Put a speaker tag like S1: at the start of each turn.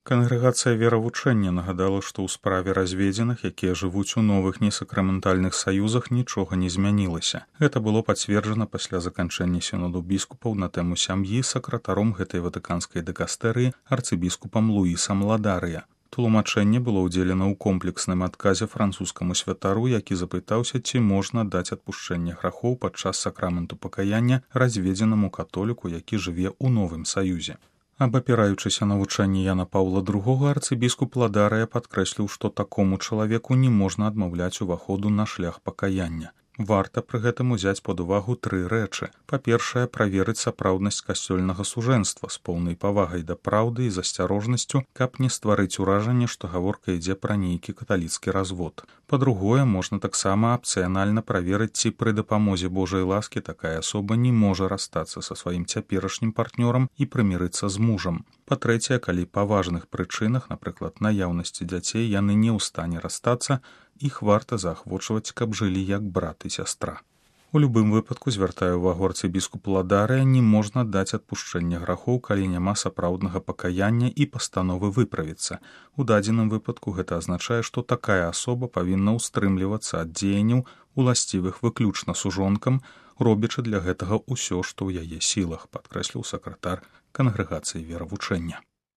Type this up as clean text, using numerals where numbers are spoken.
S1: Кангрэгацыя веравучэння нагадала, што ў справе разведзеных, якія жывуць у новых несакраментальных саюзах, нічога не змянілася. Гэта было пацверджана пасля заканчэння сіноду біскупаў на тэму сям'і сакратаром гэтай ватыканскай дыкастэрыі арцыбіскупам Луісам Ладарыя. Тлумачэнне было ўдзелена ў комплексным адказе французскаму святару, які запытаўся, ці можна даць адпушчэнне грахоў падчас сакраменту пакаяння разведзенаму католіку, які жыве ў новым саюзе. Абапіраючыся на вучэнне Яна Паўла II, арцыбіскуп Ладарыя падкрэсліў, што такому чалавеку не можна адмаўляць уваходу на шлях пакаяння. Варта пры гэтым узяць пад увагу тры рэчы. Па-першае, праверыць сапраўднасць касцёльнага сужэнства з поўнай павагай да праўды і з асцярожнасцю, каб не стварыць уражанне, што гаворка ідзе пра нейкі каталіцкі развод. Па-другое, можна таксама апцыянальна праверыць, ці пры дапамозе Божай ласкі такая асоба не можа расстацца са сваім цяперашнім партнёрам і прымірыцца з мужам. Па-трэцяе, калі па важных прычынах, напрыклад, наяўнасці дзяцей, яны не ў стане расстацца, іх варта заахвочваць, каб жылі як брат і сястра. У любым выпадку, звяртаю ўвагу арцыбіскуп Ладарыя, не можна даць адпушчэнне грахоў, калі няма сапраўднага пакаяння і пастановы выправіцца. У дадзеным выпадку гэта азначае, што такая асоба павінна ўстрымлівацца ад дзеянняў, уласцівых выключна сужонкам, робячы для гэтага ўсё, што ў яе сілах, падкрэсліў сакратар кангрэгацыі веравучэння.